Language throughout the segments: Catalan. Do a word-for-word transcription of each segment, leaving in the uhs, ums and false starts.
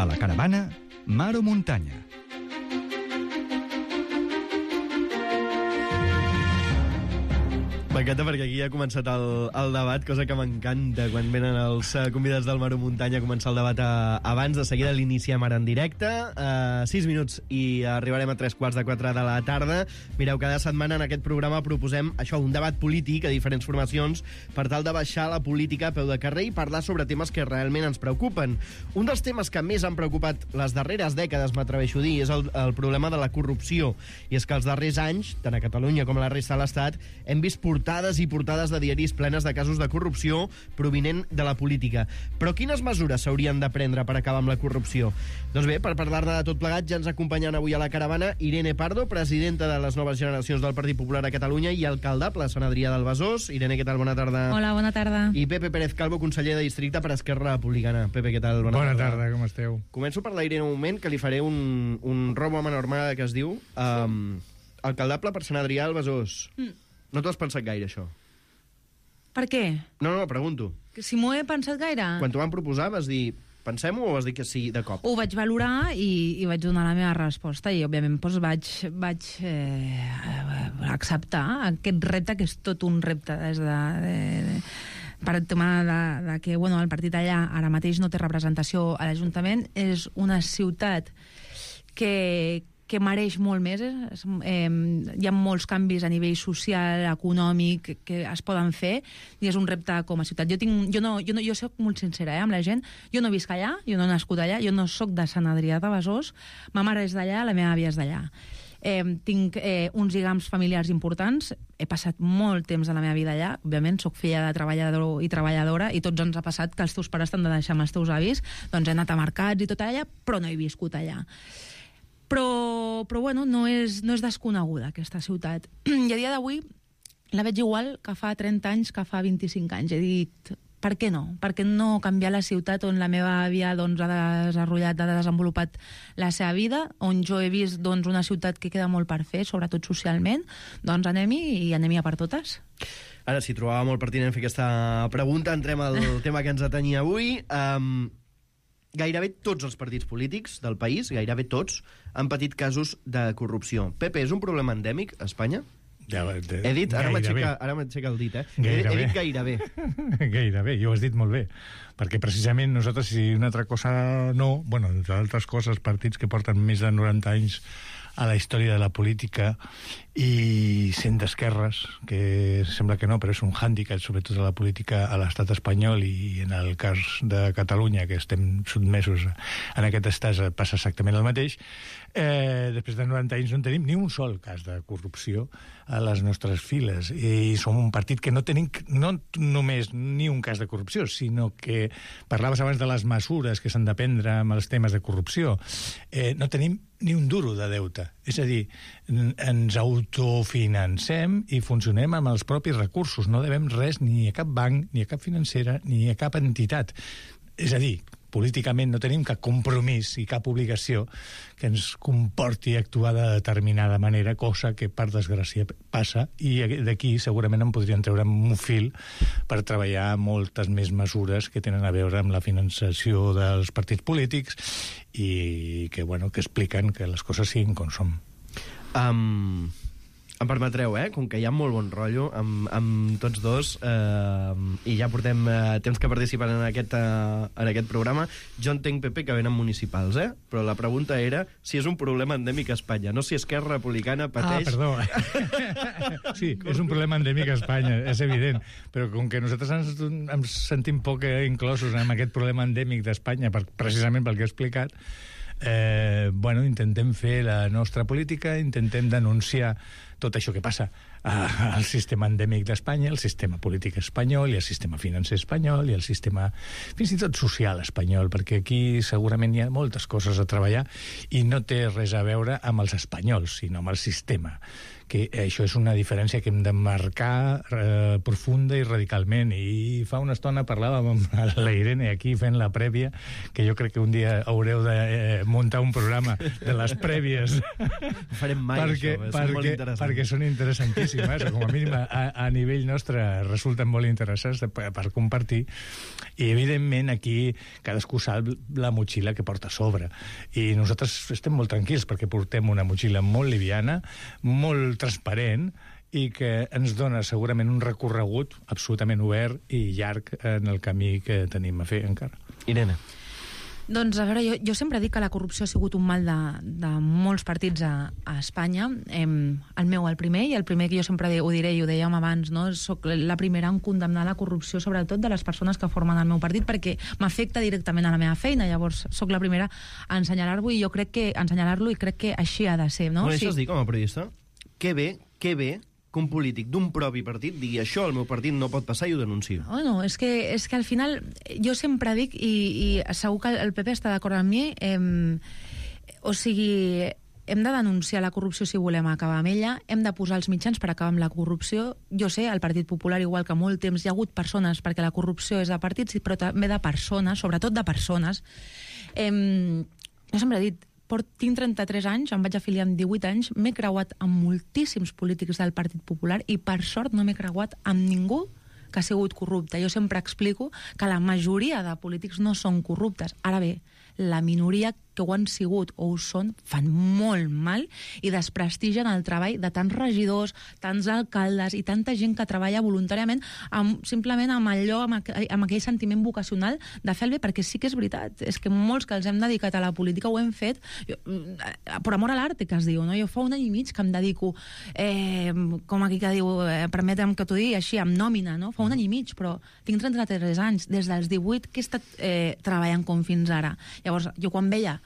A la caravana, mar o muntanya. M'encanta perquè aquí ja ha començat el, el debat, cosa que m'encanta quan venen els uh, convidats del Mar o Muntanya a començar el debat a, abans. De seguida l'iniciem ara en directe. Uh, sis minuts i arribarem a tres quarts de quatre de la tarda. Mireu, cada setmana en aquest programa proposem això, un debat polític a diferents formacions per tal de baixar la política a peu de carrer i parlar sobre temes que realment ens preocupen. Un dels temes que més han preocupat les darreres dècades, m'atreveixo a dir, és el, el problema de la corrupció. I és que els darrers anys, tant a Catalunya com a la resta de l'Estat, hem vist portades i portades de diaris plenes de casos de corrupció provinent de la política. Però quines mesures s'haurien de prendre per acabar amb la corrupció? Doncs bé, per parlar-ne de tot plegat, ja ens acompanyen avui a la caravana Irene Pardo, presidenta de les noves generacions del Partit Popular a Catalunya i alcaldable a Sant Adrià del Besòs. Irene, què tal? Bona tarda. Hola, bona tarda. I Pepe Pérez Calvo, conseller de districte per Esquerra Republicana. Pepe, què tal? Bona, bona tarda. tarda, com esteu? Començo per la Irene un moment, que li faré un, un robo a mà normal que es diu um, alcaldable per Sant Adrià del Besòs. Mm. No t'ho has pensat gaire, això? Per què? No, no, pregunto. Que si m'ho he pensat gaire? Quan t'ho van proposar vas dir, pensem-ho, o vas dir que sí de cop? Ho vaig valorar i, i vaig donar la meva resposta i, òbviament, doncs vaig, vaig eh, acceptar aquest repte, que és tot un repte des de... de, de per el tema de, de que bueno, el partit allà ara mateix no té representació a l'Ajuntament. És una ciutat que... que mereix molt més. Eh? Eh, hi ha molts canvis a nivell social, econòmic, que es poden fer, i és un repte com a ciutat. Jo, tinc, jo, no, jo, no, jo soc molt sincera eh, amb la gent. Jo no visc allà, jo no he nascut allà, jo no soc de Sant Adrià de Besòs, ma mare és d'allà, la meva àvia és d'allà. Eh, tinc eh, uns lligams familiars importants, he passat molt temps de la meva vida allà, òbviament soc filla de treballador i treballadora, i tots ens ha passat que els teus pares t'han de deixar amb els teus avis, doncs he anat a mercats i tot allà, però no he viscut allà. Però, però bueno, no és, no és desconeguda aquesta ciutat. I a dia d'avui la veig igual que fa trenta anys, que fa vint-i-cinc anys. He dit, per què no? Per què no canviar la ciutat on la meva àvia doncs, ha desenvolupat, ha desenvolupat la seva vida, on jo he vist doncs, una ciutat que queda molt per fer, sobretot socialment? Doncs anem-hi i anem-hi a per totes. Ara, si trobava molt pertinent fer aquesta pregunta, entrem al tema que ens atenia avui. Um... Gairebé tots els partits polítics del país, gairebé tots, han patit casos de corrupció. Pepe, és un problema endèmic a Espanya? Ja, de, he dit, ara m'aixeca el dit, eh? He, he dit gairebé. Gairebé, i ho has dit molt bé. Perquè precisament nosaltres, si una altra cosa no, bueno, entre altres coses, partits que porten més de noranta anys a la història de la política i sent d'esquerres, que sembla que no, però és un hàndicap sobretot a la política a l'estat espanyol, i en el cas de Catalunya, que estem sotmesos en aquest estat, passa exactament el mateix. Eh, després de noranta anys no tenim ni un sol cas de corrupció a les nostres files, i som un partit que no tenim no només ni un cas de corrupció, sinó que parlaves abans de les mesures que s'han de prendre amb els temes de corrupció. Eh, no tenim ni un duro de deute, és a dir, ens autofinancem i funcionem amb els propis recursos, no devem res ni a cap banc, ni a cap financera, ni a cap entitat. És a dir, políticament no tenim cap compromís i cap obligació que ens comporti actuar de determinada manera, cosa que per desgràcia passa, i d'aquí segurament en podrien treure un fil per treballar moltes més mesures que tenen a veure amb la finançació dels partits polítics i que, bueno, que expliquen que les coses siguin com són. Um... Em permetreu, eh? Com que hi ha molt bon rotllo amb, amb tots dos, eh, i ja portem eh, temps que participen en aquest, eh, en aquest programa, jo entenc, Pepe, que venen municipals, eh? Però la pregunta era si és un problema endèmic a Espanya, no si Esquerra Republicana pateix... Ah, perdó. Sí, és un problema endèmic a Espanya, és evident, però com que nosaltres ens, ens sentim poc inclosos en aquest problema endèmic d'Espanya, per, precisament pel que he explicat, eh, bueno, intentem fer la nostra política, intentem denunciar tot això que passa al sistema endèmic d'Espanya, el sistema polític espanyol i el sistema financer espanyol i el sistema fins i tot social espanyol, perquè aquí segurament hi ha moltes coses a treballar i no té res a veure amb els espanyols, sinó amb el sistema que això és una diferència que hem de marcar eh, profunda i radicalment. I fa una estona parlàvem amb la Irene aquí fent la prèvia, que jo crec que un dia haureu de eh, muntar un programa de les prèvies. Ho farem mai, perquè, això, perquè, són molt interessants. perquè són interessantíssimes, com a mínim a, a nivell nostre resulten molt interessants per, per compartir. I evidentment aquí cadascú sap la motxilla que porta a sobre, i nosaltres estem molt tranquils perquè portem una motxilla molt liviana, molt transparent, i que ens dona segurament un recorregut absolutament obert i llarg en el camí que tenim a fer encara. Irene. Doncs, a veure, jo, jo sempre dic que la corrupció ha sigut un mal de, de molts partits a, a Espanya. Eh, el meu, el primer, i el primer que jo sempre ho diré, i ho dèiem abans, no? Soc la primera en condemnar la corrupció, sobretot de les persones que formen el meu partit, perquè m'afecta directament a la meva feina. Llavors, sóc la primera a ensenyalar-lo, i jo crec que ensenyalar-lo i crec que així ha de ser, no? Bueno, sí. Això es dic, com a periodista, que bé, que bé que un polític d'un propi partit digui això al meu partit no pot passar i ho denuncio. Bueno, és que, és que al final jo sempre dic, i, i segur que el P P està d'acord amb mi, eh, o sigui, hem de denunciar la corrupció si volem acabar amb ella, hem de posar els mitjans per acabar amb la corrupció. Jo sé, al Partit Popular, igual que molt temps, hi ha hagut persones, perquè la corrupció és de partits, però també de persones, sobretot de persones. Eh, jo sempre he dit, tinc trenta-tres anys, em vaig afiliar amb divuit anys, m'he creuat amb moltíssims polítics del Partit Popular i per sort no m'he creuat amb ningú que ha sigut corrupte. Jo sempre explico que la majoria de polítics no són corruptes. Ara bé, la minoria que ho han sigut o ho són, fan molt mal i desprestigien el treball de tants regidors, tants alcaldes i tanta gent que treballa voluntàriament amb, simplement amb allò, amb, aqu amb aquell sentiment vocacional de fer el bé, perquè sí que és veritat, és que molts que els hem dedicat a la política ho hem fet jo, per amor a l'arte, que es diu, no? Jo fa un any i mig que em dedico, eh, com aquí que diu, eh, permetem que t'ho digui així, amb nòmina, no? Fa un any i mig, però tinc trenta-tres anys, des dels divuit que he estat eh, treballant com fins ara. Llavors, jo quan veia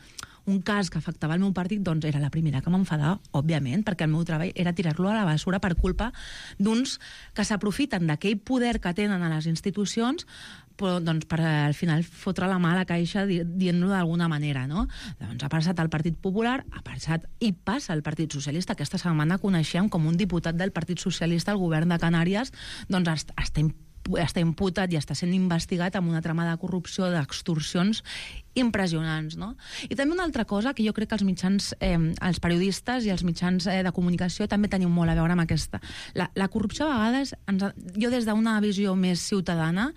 un cas que afectava el meu partit, doncs era la primera que m'enfadava, òbviament, perquè el meu treball era tirar-lo a la bessura per culpa d'uns que s'aprofiten d'aquell poder que tenen a les institucions, però doncs, per al final fotre la mà a la caixa dient-lo d'alguna manera, no? Doncs ha passat al Partit Popular, ha passat i passa al Partit Socialista. Aquesta setmana coneixem com un diputat del Partit Socialista al govern de Canàries doncs està està imputat i està sent investigat amb una trama de corrupció, d'extorsions impressionants, no? I també una altra cosa que jo crec que els mitjans, eh, els periodistes i els mitjans eh, de comunicació també tenim molt a veure amb aquesta. La, la corrupció a vegades, ens, jo des d'una visió més ciutadana,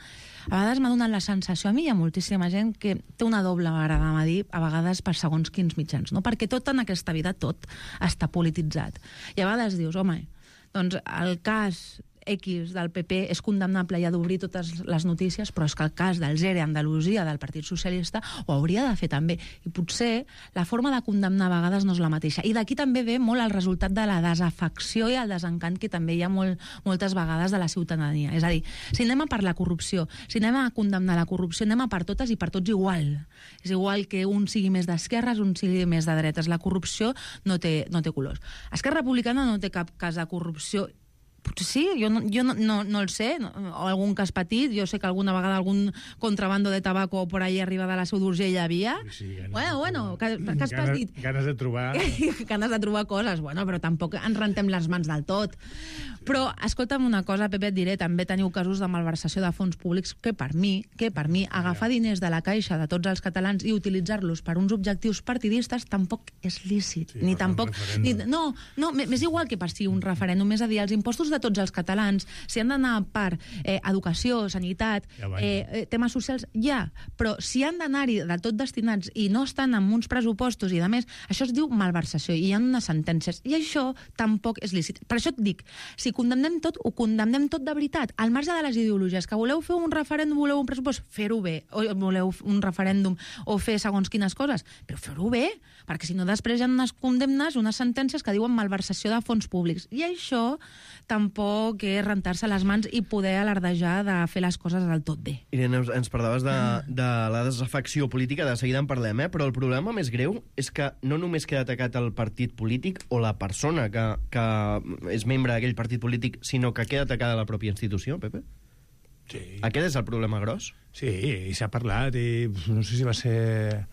a vegades m'ha donat la sensació, a mi hi ha moltíssima gent que té una doble vara de medir, a vegades per segons quins mitjans, no? Perquè tot en aquesta vida, tot està polititzat. I a vegades dius, home, doncs el cas X del P P és condemnable i ha d'obrir totes les notícies, però és que el cas del Zere Andalusia del Partit Socialista ho hauria de fer també. I potser la forma de condemnar a vegades no és la mateixa. I d'aquí també ve molt el resultat de la desafecció i el desencant que també hi ha molt, moltes vegades de la ciutadania. És a dir, si anem a per la corrupció, si anem a condemnar la corrupció, anem a per totes i per tots igual. És igual que un sigui més d'esquerres, un sigui més de dretes. La corrupció no té, no té colors. Esquerra Republicana no té cap cas de corrupció. Potser sí, jo no, jo no, no, no el sé, no, o algun cas petit, jo sé que alguna vegada algun contrabando de tabaco por ahí arriba de la Seu d'Urgell hi havia. Sí, bueno, bueno, cas, cas ganes, petit. Ganes de trobar... ganes de trobar coses, bueno, però tampoc ens rentem les mans del tot. Però, escolta'm una cosa, Pepe, et diré, també teniu casos de malversació de fons públics que per mi, que per mi, agafar diners de la caixa de tots els catalans i utilitzar-los per uns objectius partidistes tampoc és lícit. Sí, ni tampoc... Ni, no, no, m'és igual que per si un referèndum, és a dir, els impostos de tots els catalans, si han d'anar per eh, educació, sanitat, ja eh, temes socials, ja, però si han d'anar-hi de tot destinats i no estan amb uns pressupostos i de més, això es diu malversació i hi ha unes sentències, i això tampoc és lícit. Per això et dic, si condemnem tot, ho condemnem tot de veritat, al marge de les ideologies, que voleu fer un referèndum, voleu un pressupost, fer-ho bé, o voleu un referèndum o fer segons quines coses, però fer-ho bé, perquè si no després hi ha unes condemnes, unes sentències que diuen malversació de fons públics, i això tampoc és rentar-se les mans i poder alardejar de fer les coses del tot bé. Irene, ens parlaves de, de la desafecció política, de seguida en parlem, eh? Però el problema més greu és que no només queda atacat el partit polític o la persona que, que és membre d'aquell partit polític, sinó que queda atacada la pròpia institució, Pepe? Sí. Aquest és el problema gros? Sí, i s'ha parlat, i no sé si va ser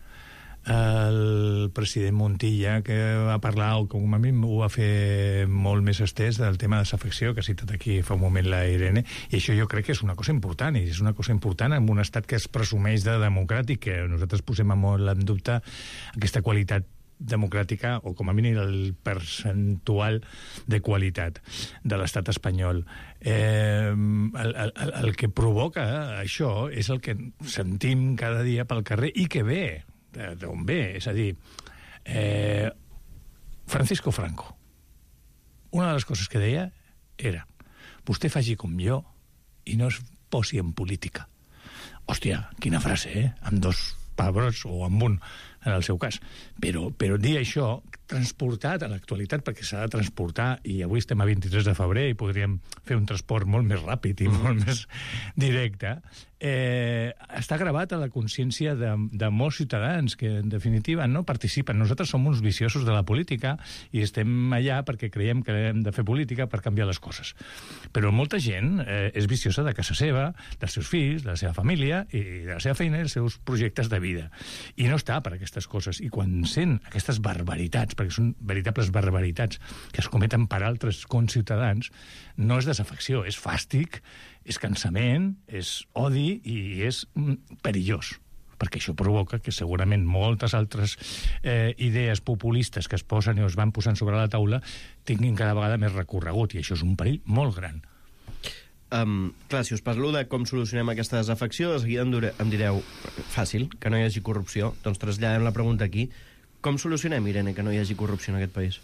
el president Montilla, que va parlar, o com a mi ho va fer molt més estès, del tema de desafecció, que ha citat aquí fa un moment la Irene, i això jo crec que és una cosa important, i és una cosa important en un estat que es presumeix de democràtic, que nosaltres posem molt en dubte aquesta qualitat democràtica, o com a mínim el percentual de qualitat de l'estat espanyol. Eh, el, el, el que provoca això és el que sentim cada dia pel carrer, i que ve d'on ve, és a dir, eh, Francisco Franco, una de les coses que deia era: vostè faci com jo i no es posi en política. Hòstia, quina frase, eh? Amb dos pebrots, o amb un, en el seu cas. Però, però dir això, transportat a l'actualitat, perquè s'ha de transportar, i avui estem a vint-i-tres de febrer i podríem fer un transport molt més ràpid i molt més directe, eh, està gravat a la consciència de, de molts ciutadans que, en definitiva, no participen. Nosaltres som uns viciosos de la política i estem allà perquè creiem que hem de fer política per canviar les coses. Però molta gent eh, és viciosa de casa seva, dels seus fills, de la seva família, i de la seva feina i dels seus projectes de vida. I no està per aquestes coses. I quan sent aquestes barbaritats, perquè són veritables barbaritats que es cometen per altres conciutadans, no és desafecció, és fàstic, és cansament, és odi i és mm, perillós, perquè això provoca que segurament moltes altres eh, idees populistes que es posen i es van posant sobre la taula tinguin cada vegada més recorregut, i això és un perill molt gran. Um, clar, si us parlo de com solucionem aquesta desafecció, de seguida em, dure, em direu fàcil, que no hi hagi corrupció. Doncs traslladem la pregunta aquí. Com solucionem, Irene, que no hi hagi corrupció en aquest país?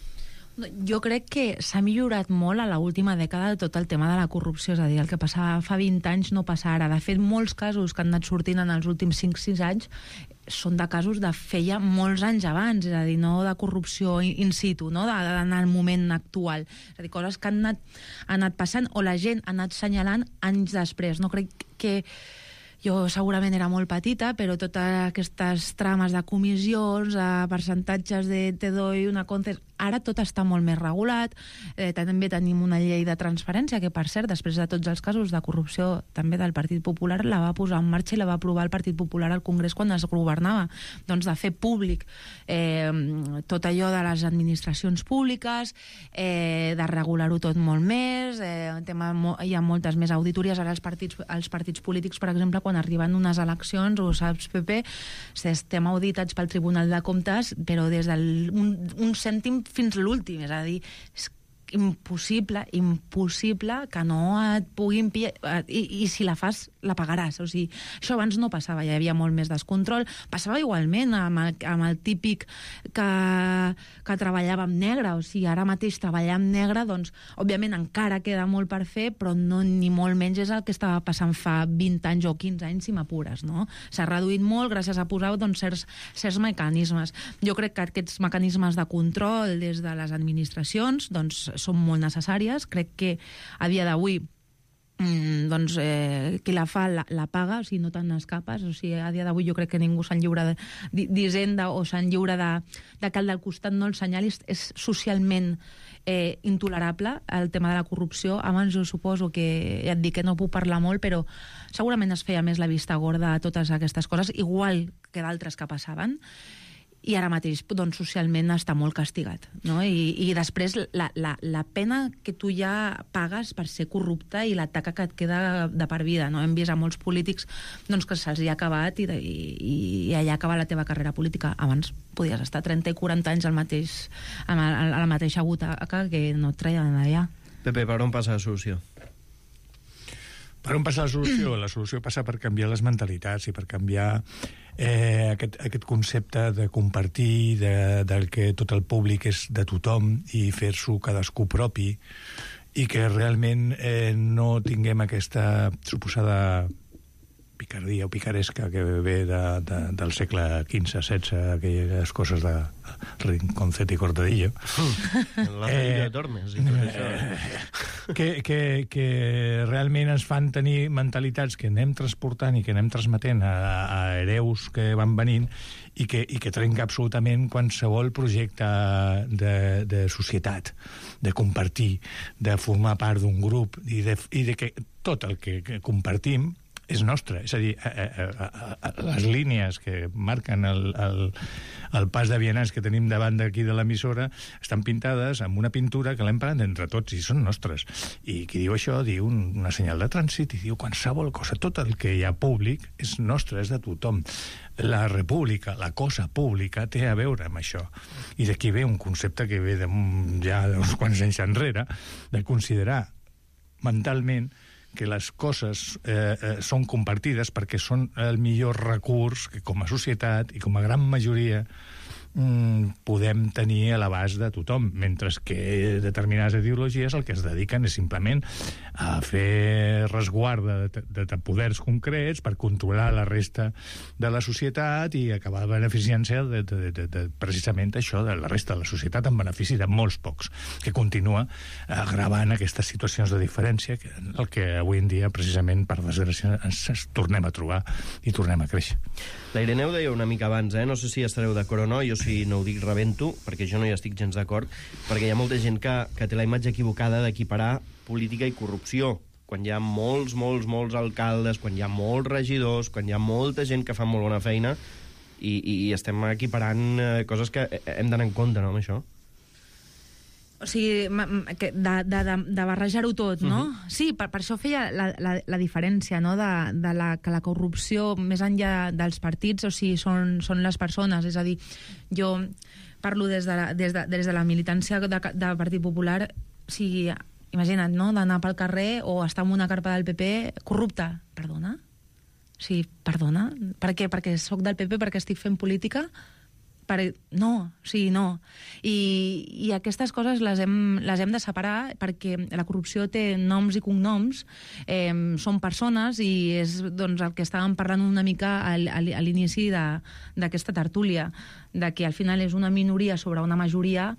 Jo crec que s'ha millorat molt a l'última dècada tot el tema de la corrupció, és a dir, el que passava fa vint anys no passa ara. De fet, molts casos que han anat sortint en els últims cinc sis anys són de casos de feia molts anys abans, és a dir, no de corrupció in situ, no? de, de, en el moment actual. És a dir, coses que han anat, han anat passant o la gent ha anat assenyalant anys després. No crec que... Jo segurament era molt petita, però totes aquestes trames de comissions, de percentatges de te doy una conces... Ara tot està molt més regulat. Eh, també tenim una llei de transparència que, per cert, després de tots els casos de corrupció també del Partit Popular, la va posar en marxa i la va aprovar el Partit Popular al Congrés quan es governava. Doncs de fer públic eh, tot allò de les administracions públiques, eh, de regular-ho tot molt més, eh, tema, hi ha moltes més auditories. Ara els partits, els partits polítics, per exemple, quan arriben unes eleccions, o saps, Pepe, estem auditats pel Tribunal de Comptes, però des d'un un, un cèntim fins l'últim, és a dir, és impossible, impossible que no et puguin pillar, i, i si la fas, la pagaràs. O sigui, això abans no passava, hi havia molt més descontrol. Passava igualment amb el, amb el típic que, que treballava amb negre, o sigui, ara mateix treballar amb negre, doncs, òbviament encara queda molt per fer, però no, ni molt menys és el que estava passant fa vint anys o quinze anys, si m'apures, no? S'ha reduït molt gràcies a posar doncs, certs, certs mecanismes. Jo crec que aquests mecanismes de control des de les administracions doncs, són molt necessàries. Crec que a dia d'avui mm, doncs, eh, qui la fa la, la paga, o sigui, no te'n escapes. O sigui, a dia d'avui jo crec que ningú se'n lliura d'Hisenda o se'n lliura de, de que el del costat no el senyali. És socialment eh, intolerable el tema de la corrupció. Abans jo suposo que, ja et dic que no puc parlar molt, però segurament es feia més la vista gorda a totes aquestes coses, igual que d'altres que passaven. I ara mateix, doncs, socialment està molt castigat, no? I, i després la, la, la pena que tu ja pagues per ser corrupte i la taca que et queda de per vida, no? Hem vist a molts polítics doncs, que se'ls ha acabat i, i, i allà acaba la teva carrera política. Abans podies estar trenta i quaranta anys al mateix, a la mateixa butaca que no et treien d'allà. Pepe, per on passa la solució? Per on passa la solució? La solució passa per canviar les mentalitats i per canviar eh, aquest, aquest concepte de compartir, de, del que tot el públic és de tothom i fer-s'ho cadascú propi, i que realment eh, no tinguem aquesta suposada picardia o picaresca que ve de, de, del segle quinze setze, aquelles coses de Rinconcet i Cortadillo. La eh, de Tormes i tot això. Eh, que, que, que realment ens fan tenir mentalitats que anem transportant i que anem transmetent a, a hereus que van venint i que, i que trenca absolutament qualsevol projecte de, de societat, de compartir, de formar part d'un grup i de, i de que tot el que, que compartim és nostre. És a dir, a, a, a, a, les línies que marquen el, el, el pas de vianants que tenim davant d'aquí de l'emissora estan pintades amb una pintura que l'hem parat entre tots i són nostres. I qui diu això diu un, una senyal de trànsit i diu qualsevol cosa. Tot el que hi ha públic és nostre, és de tothom. La república, la cosa pública, té a veure amb això. I d'aquí ve un concepte que ve de, ja d'uns quants anys enrere, de considerar mentalment que les coses eh, eh, són compartides perquè són el millor recurs que com a societat i com a gran majoria mm, podem tenir a l'abast de tothom, mentre que determinades ideologies el que es dediquen és simplement a fer resguard de, de, de poders concrets per controlar la resta de la societat i acabar beneficiant-se de, de, de, de, precisament això, de la resta de la societat en benefici de molts pocs, que continua agravant aquestes situacions de diferència que el que avui en dia, precisament, per desgràcia, ens, ens tornem a trobar i tornem a créixer. La Irene ho deia una mica abans, eh? No sé si estareu d'acord o no, jo si no ho dic rebento, perquè jo no hi estic gens d'acord, perquè hi ha molta gent que, que té la imatge equivocada d'equiparar política i corrupció, quan hi ha molts, molts, molts alcaldes, quan hi ha molts regidors, quan hi ha molta gent que fa molt bona feina, i, i estem equiparant eh, coses que hem d'anar en compte, no, amb això? O sigui, de, de, de, de barrejar-ho tot, no? Uh-huh. Sí, per, per això feia la, la, la diferència, no?, de, de la, que la corrupció, més enllà dels partits, o sigui, són, són les persones. És a dir, jo parlo des de la, des de, des de la militància de, de Partit Popular, o sigui, imagina't, no?, d'anar pel carrer o estar en una carpa del P P corrupta. Perdona? O sigui, perdona? Per què? Perquè sóc del P P, perquè estic fent política? Per... No, sí, no. I, i aquestes coses les hem, les hem de separar perquè la corrupció té noms i cognoms, eh, són persones i és doncs, el que estàvem parlant una mica al, al, a l'inici d'aquesta tertúlia, de que al final és una minoria sobre una majoria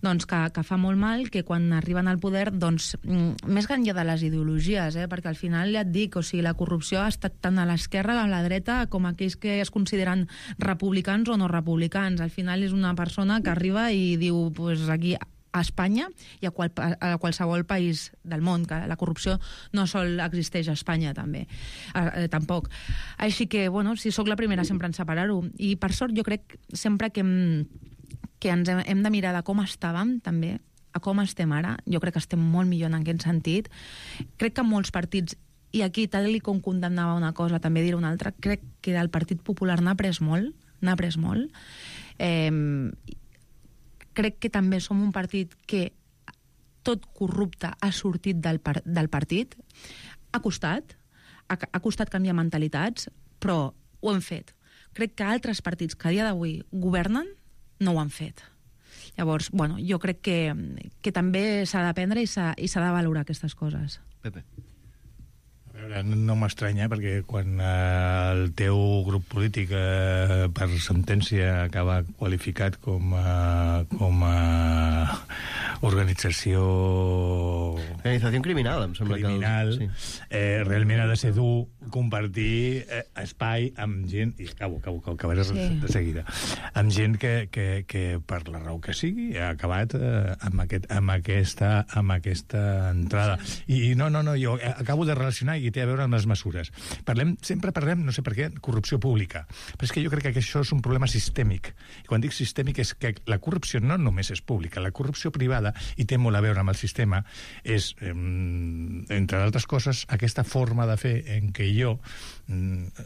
doncs, que, que fa molt mal, que quan arriben al poder, doncs, més que enllà de les ideologies, eh, perquè al final ja et dic, o sigui, la corrupció ha estat tant a l'esquerra com a la dreta com aquells que es consideren republicans o no republicans. Al final és una persona que arriba i diu, pues aquí a Espanya i a, qual, a qualsevol país del món, que la corrupció no sol existeix a Espanya també, eh, tampoc. Així que, bueno, si sóc la primera sempre en separar-ho. I per sort jo crec sempre que, que ens hem, hem de mirar de com estàvem també, a com estem ara. Jo crec que estem molt millor en aquest sentit. Crec que molts partits, i aquí tal com condemnava una cosa també diré una altra, crec que del Partit Popular n'ha pres molt, n'ha pres molt. Eh, crec que també som un partit que tot corrupte ha sortit del, par del partit. Ha costat, ha, ha costat canviar mentalitats, però ho hem fet. Crec que altres partits que a dia d'avui governen no ho han fet. Llavors, bueno, jo crec que, que també s'ha d'aprendre i s'ha de valorar aquestes coses. Pepe. A veure, no m'estranya, perquè quan eh, el teu grup polític eh, per sentència acaba qualificat com a, com a organització... Organització criminal, em sembla criminal, que... El... Sí. Eh, realment ha de ser dur compartir eh, espai amb gent, i acabo, acabo, que acabaré sí. de seguida, amb gent que, que, que per la raó que sigui ha acabat eh, amb, aquest, amb, aquesta, amb aquesta entrada. Sí. I, I no, no, no, jo acabo de relacionar i té a veure amb les mesures. Parlem, sempre parlem, no sé per què, corrupció pública. Però és que jo crec que això és un problema sistèmic. I quan dic sistèmic és que la corrupció no només és pública, la corrupció privada, i té molt a veure amb el sistema, és, eh, entre d'altres coses, aquesta forma de fer en què jo,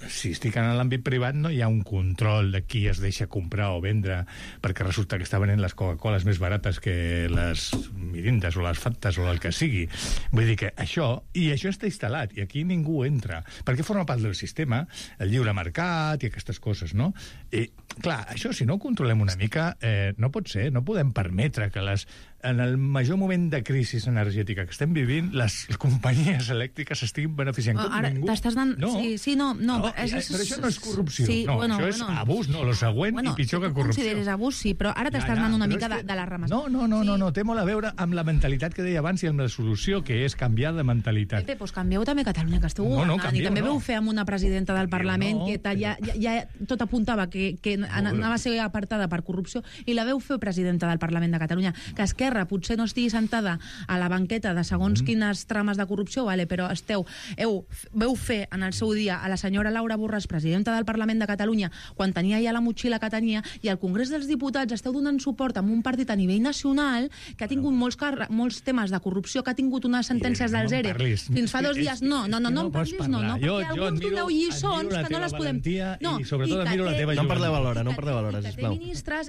si estic en l'àmbit privat, no hi ha un control de qui es deixa comprar o vendre, perquè resulta que està venent les Coca-Coles més barates que les mirindes o les Fantes o el que sigui. Vull dir que això, i això està instal·lat, i aquí ningú entra, perquè forma part del sistema, el lliure mercat i aquestes coses, no? I, clar, això si no ho controlem una mica, eh, no pot ser, no podem permetre que les en el major moment de crisi energètica que estem vivint, les companyies elèctriques s'estiguin beneficiant com ara, ningú. T'estàs anant... No. Sí, sí, no, no, no és, és, però això no és corrupció. Sí, no, bueno, això és bueno. abús, no, lo següent bueno, i pitjor si que corrupció. Consideres abús, sí, però ara t'estàs ja, ja, anant una mica que... de, de la ramació. No, no, no, sí. no, no, té molt a veure amb la mentalitat que deia abans i amb la solució, que és canviar de mentalitat. Pepe, doncs canvieu també Catalunya, que esteu no, no, governant, i també no. veu fer amb una presidenta del Parlament no, que ja, ja, ja tot apuntava que, que anava a ser apartada per corrupció, i la veu fer presidenta del Parlament de Catalunya, que Esquerra Esquerra potser no estigui sentada a la banqueta de segons mm. quines trames de corrupció, vale, però esteu, heu, veu fer en el seu dia a la senyora Laura Borràs, presidenta del Parlament de Catalunya, quan tenia ja la motxilla que tenia, i al Congrés dels Diputats esteu donant suport a un partit a nivell nacional que ha tingut molts, molts temes de corrupció, que ha tingut unes sentències no, dels E R E fins fa dos dies. No, no, no, no, no em parlis, no, no, perquè alguns doneu lliçons que no les podem... No, i sobretot admiro la teva No en parleu alhora, no en parleu alhora, sisplau.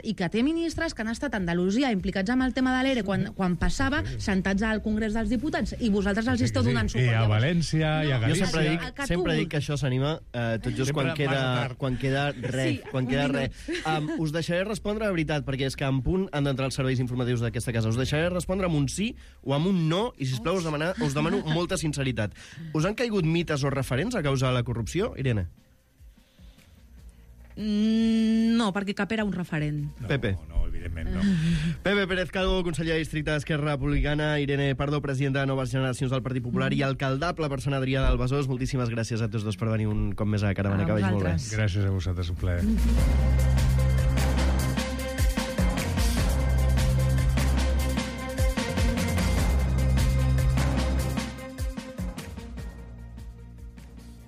I que té ministres que han estat a Andalusia implicats amb el tema de l'E R E quan, quan passava, sentats al Congrés dels Diputats, i vosaltres els esteu donant suport. I a València, i a Galícia... Jo sempre dic, sempre dic que això s'anima eh, tot just quan queda, quan queda res. Sí, quan queda res. Um, us deixaré respondre de veritat, perquè és que en punt han d'entrar els serveis informatius d'aquesta casa. Us deixaré respondre amb un sí o amb un no, i sisplau us, demanar, us demano molta sinceritat. Us han caigut mites o referents a causa de la corrupció, Irene? Mm, no, perquè cap era un referent. No, Pepe. No, evidentment no. Pepe Pérez Calvo, conseller de districte d'Esquerra Republicana, Irene Pardo, presidenta de Noves Generacions del Partit Popular, mm. i alcaldable persona Adrià del Besòs. Moltíssimes gràcies a tots dos per venir un cop més a Caravana, que vagi molt bé. Gràcies a vosaltres, un plaer.